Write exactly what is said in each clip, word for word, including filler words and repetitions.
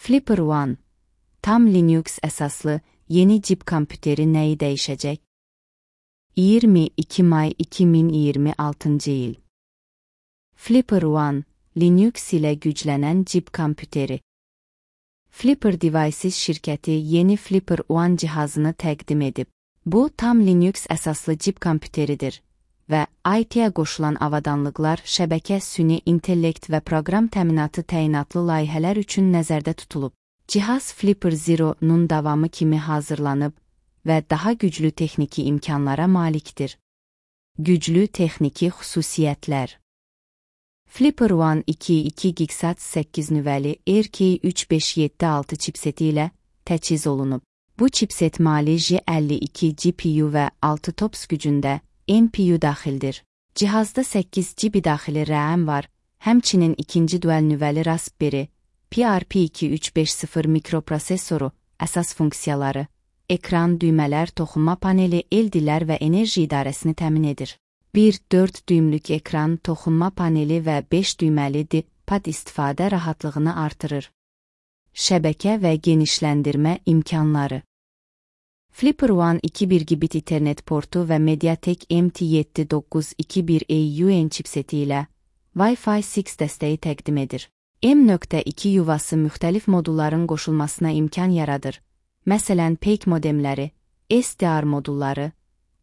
Flipper One, tam Linux əsaslı yeni cib kompüteri nəyi dəyişəcək? iyirmi iki may iki min iyirmi altıncı il. Flipper One, Linux ilə güclənən cib kompüteri. Flipper Devices şirkəti yeni Flipper One cihazını təqdim edib. Bu, tam Linux əsaslı cib kompüteridir və I T-yə qoşulan avadanlıqlar, şəbəkə, süni intellekt və proqram təminatı təyinatlı layihələr üçün nəzərdə tutulub. Cihaz Flipper Zero-nun davamı kimi hazırlanıb və daha güclü texniki imkanlara malikdir. Güclü texniki xüsusiyyətlər. Flipper One iki iki gigahertz səkkiz nüvəli R K üç beş yeddi altı çipseti ilə təchiz olunub. Bu çipset Mali J əlli iki G P U və altı tops gücündə M P U daxildir. Cihazda səkkiz G B daxili RAM var, həmçinin ikinci dual nüvəli Raspberry Pi R P iki üç beş sıfır mikroprosesoru, əsas funksiyaları, ekran, düymələr, toxunma paneli, el dillər və enerji idarəsini təmin edir. bir dörd düymlük ekran, toxunma paneli və beş düyməli D-pad istifadə rahatlığını artırır. Şəbəkə və genişləndirmə imkanları. Flipper One iki bir gigabit Ethernet portu və Mediatek M T yeddi doqquz iki bir A U N çipseti ilə Wi-Fi altı dəstəyi təqdim edir. M iki yuvası müxtəlif modulların qoşulmasına imkan yaradır. Məsələn, P E C modemləri, S D R modulları,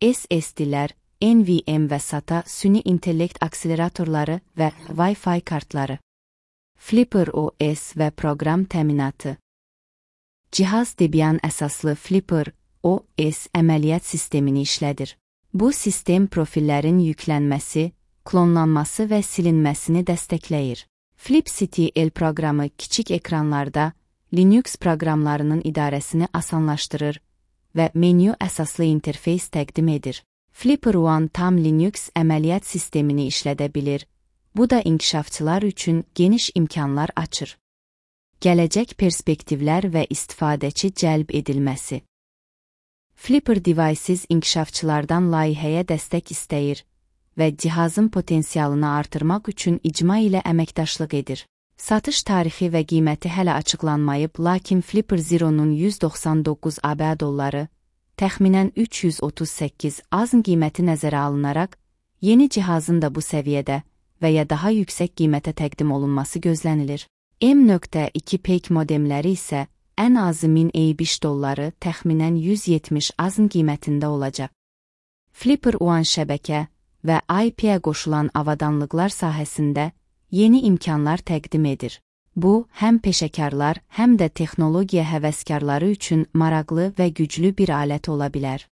S S D-lər, N V M və SATA, süni intellekt akseleratorları və Wi-Fi kartları. Flipper O S və proqram təminatı. Cihaz Debian əsaslı Flipper O S əməliyyat sistemini işlədir. Bu sistem profillərin yüklənməsi, klonlanması və silinməsini dəstəkləyir. FlipCTL proqramı kiçik ekranlarda Linux proqramlarının idarəsini asanlaşdırır və menyu əsaslı interfeys təqdim edir. Flipper One tam Linux əməliyyat sistemini işlədə bilir. Bu da inkişafçılar üçün geniş imkanlar açır. Gələcək perspektivlər və istifadəçi cəlb edilməsi. Flipper Devices inkişafçılardan layihəyə dəstək istəyir və cihazın potensialını artırmaq üçün icma ilə əməkdaşlıq edir. Satış tarixi və qiyməti hələ açıqlanmayıb, lakin Flipper Zero-nun yüz doxsan doqquz ABŞ dolları, təxminən üç yüz otuz səkkiz azın qiyməti nəzərə alınaraq, yeni cihazın da bu səviyyədə və ya daha yüksək qiymətə təqdim olunması gözlənilir. M iki P E C modemləri isə ən azı min beş dolları, təxminən yüz yetmiş azın qiymətində olacaq. Flipper One şəbəkə və I P-yə qoşulan avadanlıqlar sahəsində yeni imkanlar təqdim edir. Bu, həm peşəkarlar, həm də texnologiya həvəskarları üçün maraqlı və güclü bir alət ola bilər.